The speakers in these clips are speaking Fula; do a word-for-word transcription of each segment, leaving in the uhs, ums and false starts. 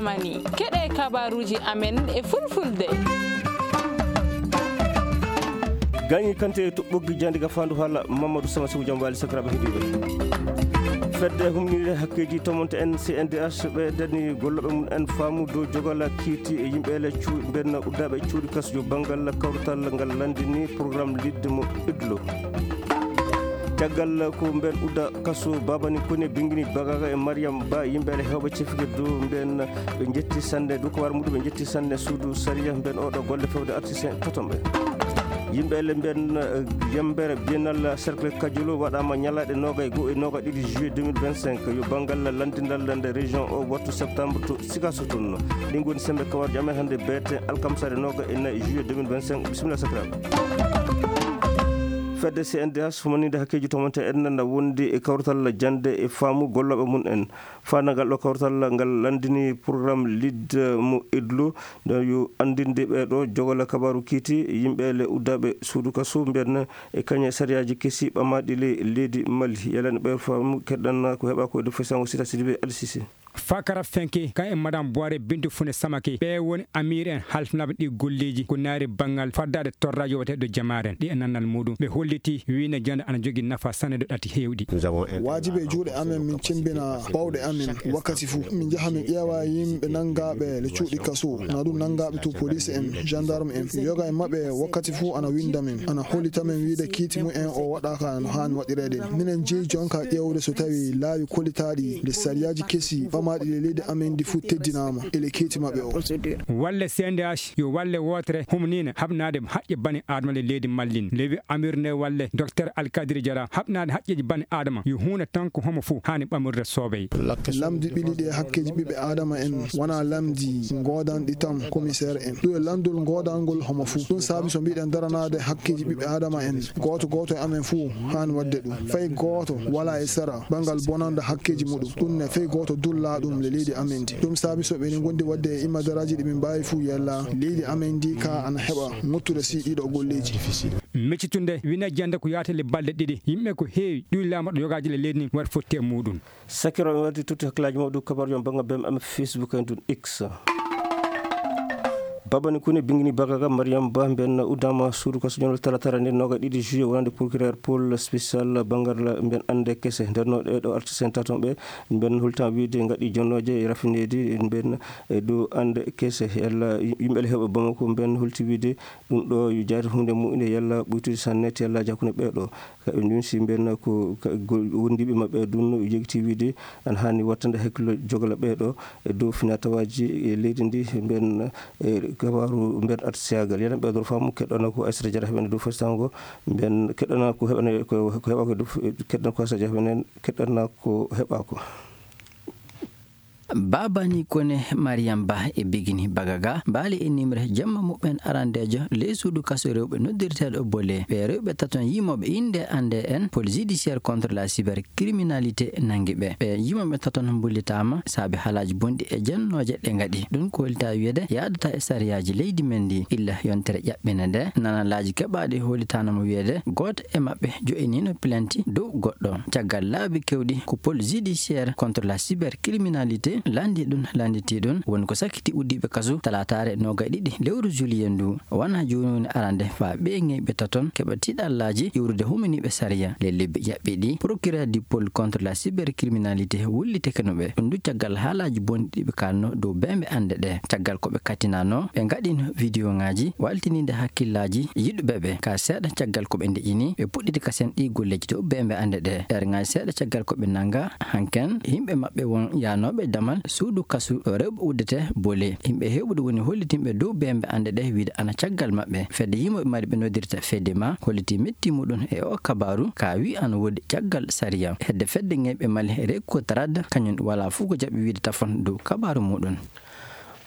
Mani, keɗe kabaruuji amen e fulfulde. Gañi kante e toɓɓoggi jandi ga fandu hala Mamadou Sama Sow jam wali sakiraɓe heɗiɓe. Fedde humnide hakkeji tomonte en C N D H ɓe dani golloɓe mum en faamu dow jogala kiiti e yimɓe le cu-, ɓen uddaɓe cuuɗi kasjo bangal kawtal ngal landini programme lidde mo idlo. Caggal ko mben udda kaso Babani Kone bingini Bagaga e Mariam Ba, yimɓe ale hewɓe cefike dow mben ɓe jetti sannde, dow ko war muɗum ɓe jetti sannde suudu sariya mben oɗo golle fewde artiste totomɓe. Yimɓe ale mben, eh, yembere Biennale Cercle Kajolo waɗama ñalaɗe nogay goo e nogay ɗiɗi juillet deux mille vingt-cinq. Yo bangal landindal nde région o wattu septembre to Sikasso toon. Ɗin goni sembe kawarjo amen hannde beete alkamsare nogay e nayi juillet deux mille vingt-cinq. Bisimilla sakiraɓe. Fedde C N D H humaninde hakkeji tomonte en na wondi e kawrital jande e faamu golloɓe mum en. Fanagal ɗo kawrital ngal landini programme lidde mo idlo, nde yo andinde ɓe ɗo jogola kabaru kiiti yimɓe le uddaɓe suudu kaso mbiyan e kañe sariyaji kesi ɓamaɗi le leydi Mali. Yalani ɓe faamu keɗɗan ko heɓa ko e dow fesango sita Sidibé Alsisi. Fakara Fenke, kan e Madame Boire Bintu Fune Samake, ɓe woni amir en halfnaɓe ɗi golleji ko naari banngal faddaade torraji wate ɗo jamaren ɗi e nannal muɗum. Ɓe holliti wine jande ana jogi nafa sanne ɗo ɗati hewɗi. Wajibi e juuɗe amen min cembina bawɗe amen wakkati fuu. Min njaha min ƴeewa yimɓe nanngaɓe le cuuɗi kaso, na ɗum nanngaɓe to police en, gendarme en. Yoga e maɓɓe wakkati fuu ana winda min, ana hollita min wiide kiiti mum en o waɗaka no haani waɗireede. Minen jeyi jonka ƴeewde so tawi laawi kollitaaɗi le sariyaaji kesi ɓamaaɗi le leydi amen ndi fuu teddinaama e le kiiti maɓɓe o. Walle C N D H yo walle wootere humniine haɓnaade haqqe bani Adama le leydi Mallin. Lewi amir nde walle Docteur Alkadiri Jara haɓnaade haqqeeji bani Adama yo huunde tan ko homo fuu haani ɓamurde soobey. Lamdi ɓili ɗi e hakkeeji ɓiɓɓe Adama en wona lamdi goodanɗi tan commissaire en. Ɗum e lanndol goodangol homo fuu. Ɗum saabi so mbiɗen daranaade hakkeeji ɓiɓɓe Adama en, gooto gooto e amen fuu haani waɗde ɗum. Fay gooto wala e sera banngal bonanda hakkeeji muɗum. Ɗum ne fay gooto dulla ɗum le leydi amen ndi. Ɗum saabi so ɓe ngondi waɗde e imadaraaji ɗi min mbaawi fuu yalla leydi amen ndi ka ana heɓa ŋottude si ɗiɗo golleeji. Meccitunde wine jande ko yaatale balɗe ɗiɗi. Yimɓe ko heewi ɗum laamaɗo yogaaji le leydi ndi waɗa fotti e muɗum. Sakiraɓe wadde tutti hakkillaaji mawɗi kabaruji on bannga B M M Facebook en ɗum X. Babani Kune bingini Bagaga Mariam Ba mben uddama suudu kaso jonol talatara nde noga ɗiɗi juillet wonande procureur Paul spécial bangal mben ande kese. Nder no ɗe ɗo artiste en taton ɓe mben hultan wiide ngaɗi jonnoje e rafineedi mben e dow ande kese. Yalla yimɓe le heɓa Bamako mben hulti wiide ɗum ɗo yo jaari hunde mu'inde yalla ɓuytude sanne te yalla hakkunde ɓe ɗo. Ka ɓe ndunsi mbiyanna ko ka go-, wondiiɓe maɓɓe ɗum no yegti wiide ana haani wattande hakkillo jogla ɓee ɗo e dow finatawaaji e leydi ndi. Mbiyan, e, kabaaru mbiyan artisiyagal. Yana ɓe ɗo faamu keɗɗana ko Aysata Jara heɓene dow festango. Mbiyan keɗɗana ko heɓene ko, ko heɓa ko dow, keɗɗana ko Aysata Jara heɓene, keɗɗana ko heɓa ko. Babani Kone, Mariam Ba e Bigini Bagaga mbaali e nimre jamma muɓɓen arandeejo ley suudu kaso rewɓe noddirteeɗo Bole. Ɓe rewɓe taton yimooɓe innde annde en, Pôle judiciaire contre la cybercriminalité nanngi ɓe. Ɓe yimooɓe taton mbullitaama saabi haalaaji bonɗi e jennooje ɗe ngaɗi. Ɗum ko hollitaa wiyeede yaadataa e sariyaaji leydi men ndi. Illa yontere ƴaɓɓinde nde, nanalaaji keɓaaɗi hollitaano mo wiyeede gooto e maɓɓe jo'iniino plainte dow goɗɗo. Caggal laabi keewɗi ko Pôle judiciaire contre la cybercriminalité lanndi ɗum, lannditi ɗum, woni ko sakkiti uddiiɓe kaso talaataare noogay ɗiɗi lewru juillet ndu. Wona jooni woni arande faa ɓee ŋeyɓe taton keɓa tiiɗallaaji iwrude huminiiɓe sariya. Le lebbi ƴaɓɓiiɗi, procureur du pôle contre la cybercriminalité wullitike no ɓe. Ɗum du caggal haalaaji bonɗi ɗi ɓe kaalno dow bembe annde ɗe. Caggal ko ɓe kattinano, ɓe ngaɗino vidéo ŋaaji waltiniinde hakkillaaji yiɗuɓe ɓe. Ka seeɗa caggal ko ɓe ndeƴini, ɓe puɗɗiti kasen ɗi golleeji dow bembe annde ɗe. Heure ŋaaji seeɗa caggal ko ɓe nannga, hanken yimɓe maɓɓe won yaanooɓe damal suudu kasu ɗo rewɓe uddete Bole. Yimɓe heewɓe woni hollitinɓe dow bembe annde ɗe wiide ana caggal maɓɓe. Fedde yimooɓe mari ɓe noddirta Fedema holliti metti muɗum e o kabaaru ka wi ana woodi caggal sariya. Hedde fedde ŋeyɓe Mali Reko Trad kañum wala fuu ko jaɓi wiide tafon dow kabaaru muɗum.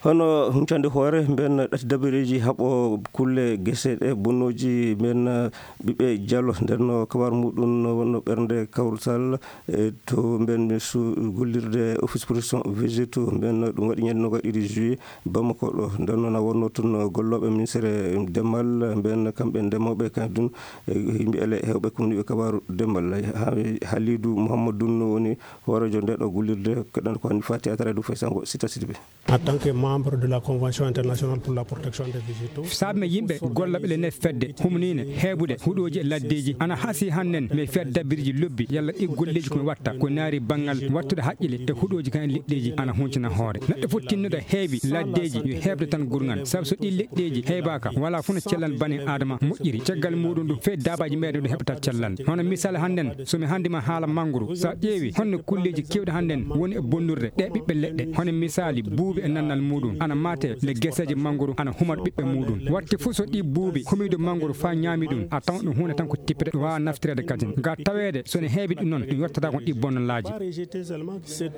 Hono huncande hoore mben ɗati dabareeji haɓo kulle gese ɗe bonnooji mben ɓiɓɓe jalo. Nden no kabar muɗum no wonno ɓernde kawrutal, e to mben mi su gollirde office protection végétaux mben ɗum waɗi ñande noga ɗiɗi juillet Bamako ɗo. Nden no na wonno tun gollooɓe ministère demal mben kamɓe ndemooɓe kan ɗum, e yimɓe ele hewɓe kumniɓe kabaru demal. Ha-, Halidu Muhammadu ɗum no woni hoorejo nde ɗo gollirde. Keɗan ko hani fati atara du faysango sita sidi ɓe. En tant que membre de la Convention internationale pour la protection des végétaux. Saabe men yimɓe gollaɓe le ne fedde humniine heebude huɗooji e laddeeji ana hasi hannen mi fedda birji lobbi yalla ɗi golleeji ko mi watta ko naari banngal wattude haqqile e huɗooji kan e leɗɗeeji ana huncina hoore. Neɗɗo fof tinnuɗo heewi laddeeji yo heɓde tan gurngan, sabu so ɗi leɗɗeeji heebaaka wala fof no cellal bani adama moƴƴiri. Caggal muɗum ɗum fee daabaaji meɗen ɗo heɓata cellal. Hono misal hannden, so mi hannde ma haala mangoro, so a ƴeewi honno kulleeji keewɗi hannden woni e bonnurde ɗe ɓiɓɓe leɗɗe, hono misaali buubi e nannal muɗum, ana maate le geseeje mangoro, ana humata ɓiɓɓe muɗum. Watte fof so ɗi buubi, humiiɗo mangoro faa ñaami ɗum, a tawan ɗum huunde tan ko tippete, ɗum waawaa naftireede kadi. Ga taweede, so ne heewi ɗum noon, ɗum yottata kon ɗi bonnalaaji.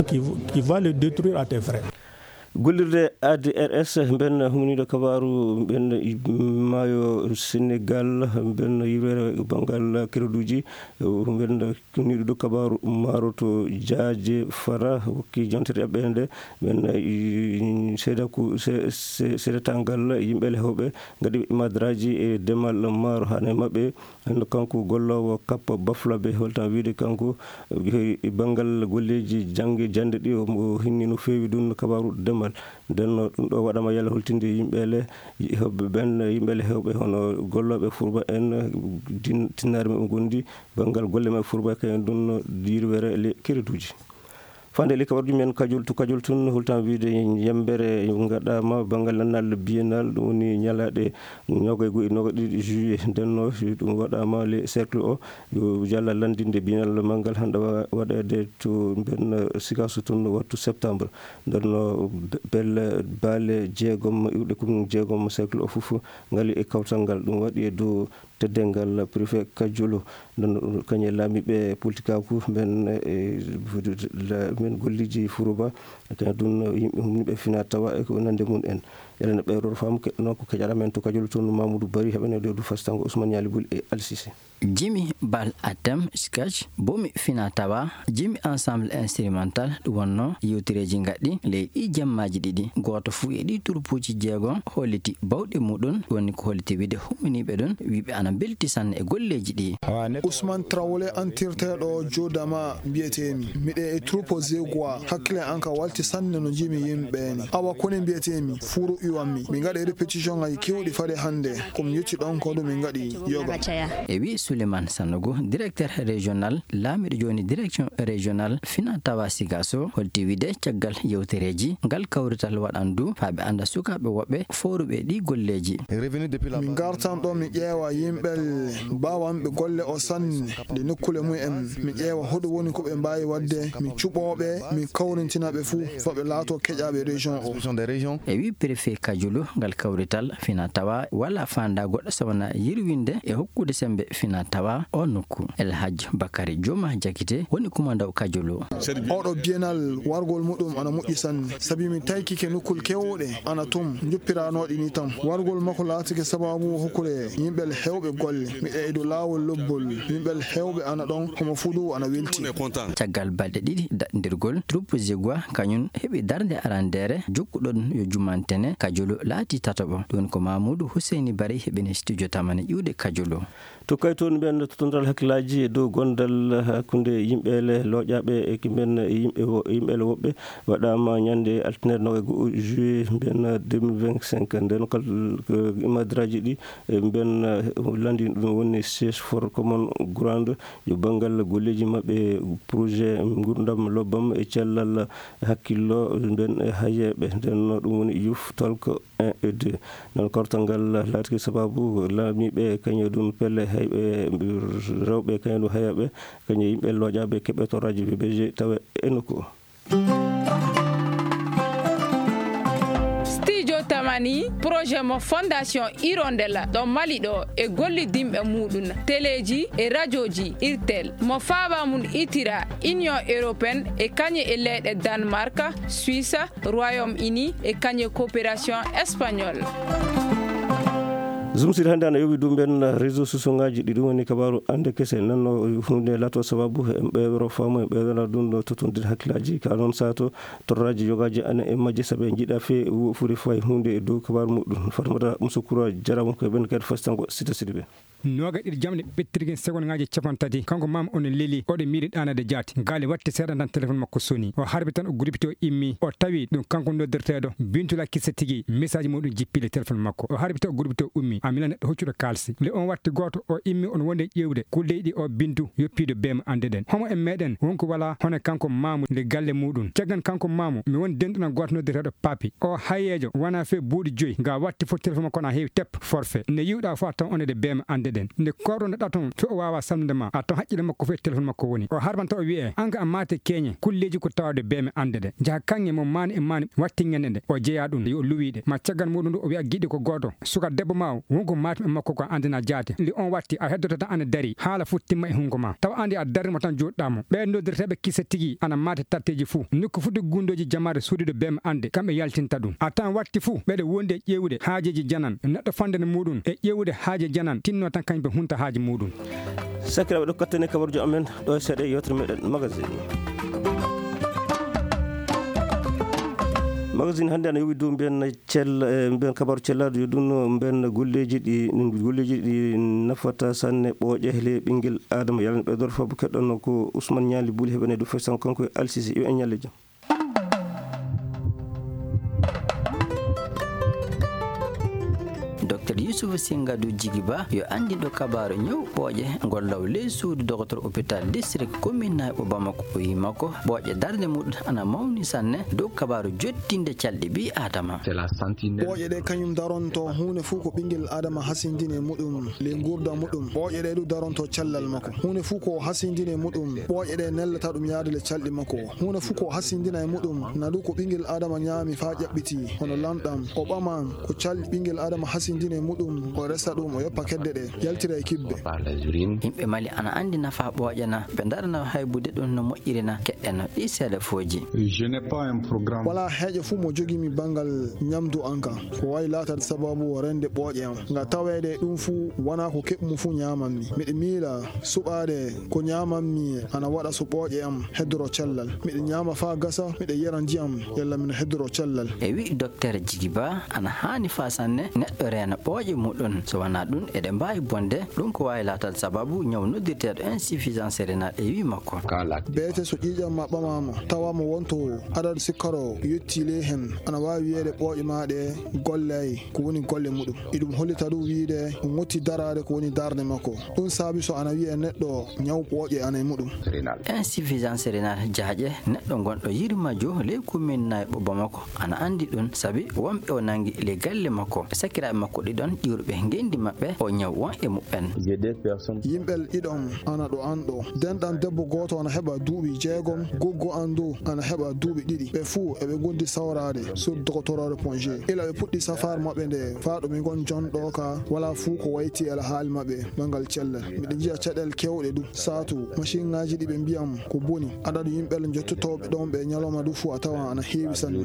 Qui, qui va le détruire à tes frais. Gollirde A D R S, mben humniiɗo kabaaru, mben maayo Senegal, mben yirwere banngal kereduuji, mben humniiɗo kabaaru maaroto jaaje fara, wokki jantere ɓeende, mben, i, seedaku-, se-, se-, seedatangal yimɓe le hewɓe, ngadi madraji e demal maaro hane maɓɓe, Hannde kanko golloowo kappa bafla ɓe holtan wiide kanko, eh, banngal golleeji jannge jannde ɗi, o, o hinni no feewi ɗum no kabaaru demal. Nden no ɗum ɗo waɗama yalla holtinde yimɓe le, hoɓɓe ɓen, yimɓe le hewɓe hono gollooɓe furba en, din-, tinnaare maɓɓe gondi, banngal golle maɓɓe furba kayen ɗum no diirwere le kereduuji. Fande li kabarji men kajol to kajol tun holtan wiide yembere ngaɗama banngal nannal biennal, ɗum woni ñalaaɗe noga e go'o e noga ɗiɗi juillet. Nden no ɗum waɗama le cercle o yo jalla landinde biennal manngal hande wa-, waɗede to mben Sikasso tun wattu septembre. Nden no be-, belle baale jeegom iwɗe commune jeegom cercle o fof ngali e kawtal ngal. Ɗum waɗi e dow teddeengal préfet Kajolo, nden kañe laamiiɓe politikaaku men, e, la-, men golliiji Furuba, kañum ɗum yimɓe humniiɓe fina tawa e ko nande mum en. Enen ɓe ɗo faamu keɗɗo noon ko keƴaɗa men to Kajolo toon Mamoudou Bari, heɓene ɗo du fastango Ousmane Yali Bul e Alsisi. Jimi Bal Atem Sketch, Bomi Fina Tawa, Jimi Ensemble Instrumental, ɗum wonno yewtereeji ngaɗɗi ley ɗi jemmaaji ɗiɗi. Gooto fuu e ɗi turpuuji jeego holliti bawɗe muɗum, woni ko holliti wiide humminiiɓe ɗum, wiiɓe ana mbelti sanne e golleeji ɗi. Ousmane Traoré antirteeɗo Jodama mbiyeteemi. Miɗe e troupe Zegwa, hakkille an ka walti sanne no njimi yimɓe ni. Awa kone mbiyeteemi, furu iwammi. Min ngaɗi répétition ngaji kewɗi fade hannde. Ko mi yetti ɗon ko ɗum min ngaɗi yoga. E wi Souleymane Sanogo, directeur régional, laamiɗo jooni direction régional Fina Tawa Sigaso, holti wiide caggal yewtereeji, ngal kawrital waɗan du faa ɓe annda sukaaɓe woɓɓe fooruɓe ɗi golleeji. Min ngartan ɗo mi ƴeewa yimɓe baawanɓe golle o sanne, nde nokkule mum en. Mi ƴeewa hoɗum woni ko ɓe mbaawi waɗde, mi cuɓooɓe, mi kawrintina ɓe fuu, faa ɓe laato keƴaaɓe région o. E wi préfet Kajulu, ngal kawrital Fina Tawa wala faanda goɗɗo so wona yirwinde e hokkude sembe Fina Tawa o nokku. El Hadj Bakary Joma Jakite woni kumandaw Kajulu. Oɗo biennal wargol muɗum ana moƴƴi sanne, sabi mi taykike nokkul kewɗe ana tum, njoppiranoɗi ni tan. Wargol makko laatike sababu hokkude yimɓe hewɓe golle. Miɗo e dow laawol lobbol, yimɓe hewɓe ana ɗon, homo fuu du ana welti. Caggal balɗe ɗiɗi daɗndirgol, troupe Zegwa kañum heɓi darnde arandeere, jokkuɗon yo jumantene, Kajulu laati tataɓo. Ɗum ko Mamoudou Husseini Bari heɓini studio tamani ƴuuɗe Kajulu. To kay toon mbiyen tottondal hakkillaaji e dow gondal hakkunde yimɓe le looƴaaɓe e ki mbiyen yimɓe wo-, yimɓe le woɓɓe waɗaama ñande altine noga e go'o juillet mbiyen deux mille vingt-cinq. Nden kal, ko imadraji ɗi, e mbiyen, eh, lanndin ɗum woni siège for common ground, yo banngal golleeji maɓɓe, projet ngurdam lobbam e cellal hakkillo mbiyen e hayeeɓe. Nden no ɗum woni Youth Talk un et deux. Noon kortal ngal laatiki sababu laamiiɓe, kañum ɗum pelle heyɓe rewɓe, kañum ɗum heyɓe, kañum yimɓe looƴaaɓe keɓe torraaji V B G tawa e nokku o. Studio Tama. Ani projet mo Fondation Hirondelle ɗo Mali ɗo e gollidinɓe muɗum teleeji e rajooji Irtel mo faaba mum itira Union Européenne e kañe e leyɗe Danemark, Suisse, Royaume-Uni e kañe coopération espagnole. Zumsir hannde ana yowi ɗum ɓen réseau sociauŋaaji ɗi ɗum woni kabaaru annde kese nanno huunde laato sababu en ɓeewro faamu en ɓeewra ɗum ɗo totondir hakkillaaji ka noon saato torraaji yogaaji ana e majje sabu en njiɗa fee wo furi fay huunde e dow kabaaru muɗum. Fatmata Musukura jarama ko e ɓen kadi fastango sita sidi ɓe. Nooga ɗiɗi jamɗe ɓettirgin segonŋaaji capanɗe tati kanko maama on leli oɗo miili ɗaanade jaati gaali watti seeɗa tan téléphone makko soni o harbi tan o gurpiti o immi o tawi ɗum kanko noddirteeɗo bintula kissa tigi message muɗum jippile téléphone makko o harbi tan o gurpiti o ummi a mila neɗɗo hoccuɗo kaalsi le on watti gooto o immi on wonde ƴeewde kulle ɗi o bintu yoppiido beema annde ɗen homo en meɗen wonko wala hono kanko maamu nde galle muɗum caggan kanko maamu mi woni denɗuɗo gooto noddirteeɗo papi o hayeejo wona fee buuɗi joyi ga watti fof téléphone makko na heewi tep forfait nde yiwɗa fof a taw onede beema annde ɗen nde korɗoɗa ton fo o wawa salnude ma a taw haqqille makko fof e téléphone makko woni o harbanta o wiye an ka a maate keñe kulleji ko tawde beeme annde ɗe jaha kaŋŋe mo maani e maani wattiŋŋene ɗe o jeeya ɗum yo luwiɗe ma caggal muɗum ɗo o wiya giɗi ko gooto suka debbo ma o wonko matum e makko ko andina jaate nde on watti a heddoto tan ana dari haala fof timma e hungo ma taw andi a darrimo tan joɗɗamo ɓe noddirteɓe kisa tigi ana maate tatteji fou nokku foti gundoji jamaare suudude beeme annde kamɓe yaltinta ɗum a tan watti fou ɓeɗe wondi e ƴeewude haajeji janan neɗɗo fandene muɗum e ƴeewude haaje janan tinno tan kañum ɓe hunta haaji muɗum. Sakiraaɓe ɗo kattane kabarjo amen ɗo e seeɗa e yewtere meɗen magazine. Magazine hannde ana yowi dow mbiyen cell mbiyen kabaru cellaɗo yo ɗum mbiyen golleji ɗi golleji ɗi nafata sanne ɓooƴe hele ɓinngel adama yalani ɓe dor fabu keɗɗonno ko ousmane ñaali buli heɓene dow fesan kanko e alsisi yo en ñalle jam. Docteur Youssouf Singadu Jigiba yo anndinɗo kabaaru ñaw ɓooƴe ngol law ley suudu dogotor hôpital district commune Nayɓo Bamako o wi makko ɓooƴe darnde muɗum ana mawni sanne dow kabaaru jottinde calɗi ɓii Aadama. Ɓooƴe ɗe kañum daronto huunde fof ko ɓinngel Aadama hasindini e muɗum ley nguurda muɗum ɓooƴe ɗe du daronto cellal makko huunde fof ko hasindini e muɗum ɓooƴe ɗe nellata ɗum yaade le calɗi makko huunde fof ko hasindina e muɗum na du ko ɓinngel Aadama ñaami faa ƴaɓɓiti hono lanɗam o ɓaman ko calɗi ɓinngel Aadama hasindini e muɗum o resa ɗum o yoppa kedde ɗe yaltira e kibbe. Yimɓe Mali ana anndi nafaa ɓooƴe na ɓe ndarana haybude ɗum no moƴƴiri na keɗɗeno ɗi seeɗa fooji. Walaa heeƴo fuu mo jogii mi banngal ñamdu am kan ko waawi laataade sabaabu o rende ɓooƴe am nga taweede e ɗum fuu wonaa ko keɓ-mi fuu ñaaman-mi miɗo miila suɓaade ko ñaaman-mi ana waɗa so ɓooƴe am heddoro cellal miɗo ñaama faa gasa miɗo yara ndiyam yalla mino heddoro cellal. E wi Dokteer Jigi Ba ana haani faa sanne neɗɗo reena ɓooƴe muɗum so wanaa ɗum eɗe mbaawi bonde ɗum ko waawi laataade sabaabu ñaw noddirteeɗo insuffisance rénale e wi makko. Beete so ƴiiƴam ma ɓamaama tawa mo wonto adadu sikkaro yettii ley heen ana waawi wiyeede ɓooƴe maa ɗee gollaay ko woni golle muɗum iɗum hollita ɗum wiyde o ŋotti daraade ko woni darnde makko ɗum saabi so ana wiyee neɗɗo ñaw ɓooƴe ana e muɗum. Insuffisance rénale jaaƴe neɗɗo gonɗo yirmajo ley commune Nayɓo Bamako ana anndi ɗum sabi wonɓe o nanngi ley galle makko sakiraaɓe makko ɗiɗon ƴiwruɓe ngenndi maɓɓe o ñaw won e muɓɓen. Yimɓel ɗiɗon ana ɗo an ɗo denɗan debbo gooto ana heɓa duuɓi jeegom goggo an du ana heɓa duuɓi ɗiɗi ɓe fuu eɓe ngondi sawraade sur dogotoroore ponge ila ɓe puɗɗi safaar maɓɓe nde faa ɗo mi ngon jonɗo ka walaa fuu ko wayti e alhaali maɓɓe banngal cellal miɗo njiya caɗeele keewɗe du saatu masinŋaaji ɗi ɓe mbiyam ko boni adadu yimɓe njottotooɓe ɗon ɓe ñalawma du fuu a tawa ana heewi sanne.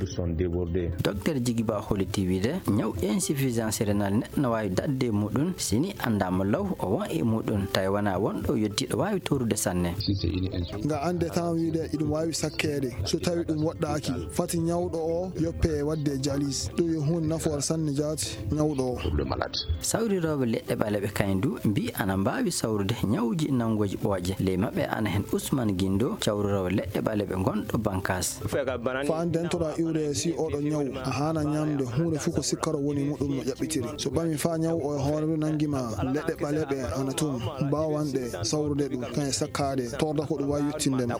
Dokteer Jigi Ba holliti wiide ñaw insuffisance rénale neɗɗo na waawi daɗde e muɗum si ni anndaama law o won e muɗum tawi wonaa wonɗo yottiiɗo waawi toorude sanne. Nga annde tan wiide iɗum waawi sakkeede so tawi ɗum woɗɗaaki fati ñawɗo o yoppe e waɗde jalis ɗum yo huunde nafoore sanne jaati ñawɗo o. Sawrirooɓe leɗɗe ɓaleeɓe kañum du mbii ana mbaawi sawrude ñawuuji nanngooji ɓooƴe ley maɓɓe ana heen Usmaan Ginndo cawriroowo leɗɗe ɓaleeɓe gonɗo Bankaas. Faa dentoɗaa iwde si oɗo ñaw a haana ñamde huunde fuu ko sikkaro woni muɗum no ƴaɓɓitiri so ɓami Faa ñaw o e hoore ndu nanngi ma, leɗɗe ɓaleeɓe ana toon, mbaawanɗe sawrude ɗum, kañe sakkaade, torda ko ɗum waawi yettinde ma.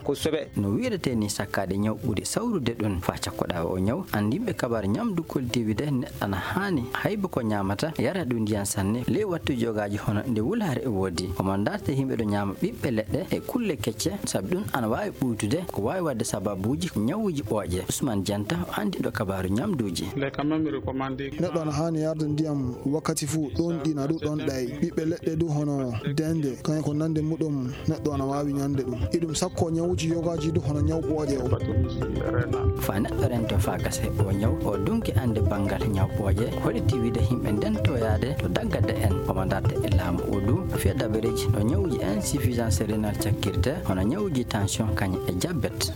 No wiiretee nii sakkaade ñaw ɓuri sawrude ɗum. Faa cakkoɗaa oo ñaw, anndinɓe kabaaru ñamdu Koli T V de neɗɗo ana haani hayba ko ñaamata, yara ɗum ndiyan sanne, ley wattuuji yogaaji hono nde wulaare e woodi. Omo ndaarta yimɓe ɗo ñaama ɓiɓɓe leɗɗe e kulle kecce, sabi ɗum ana waawi ɓuytude, ko waawi waɗde sababuuji ñawuuji ɓooƴe. Usman Janta, o anndi ɗo kabaaru ñamduuji. Neɗɗo ana haani yarde ndiyam wakkati fuu, ɗoon ɗina ɗum ɗoon ɗay. Ɓiɓɓe leɗɗe du hono dende, kañum ko nande muɗum neɗɗo ana waawi ñande ɗum. Iɗum sakko ñawuuji yogaaji du hono ñaw ɓooƴe o. Faa neɗɗo rento faa gasa o ñaw, o dunki annde banngal ñaw ɓooƴe, hoɗi tiwide yimɓe nden toyaade to daggade en, omo darta e laamu o du, fiya dabareeji no ñawuuji insuffisance rénale cakkirte, hono ñawuuji tension kañum e diabète.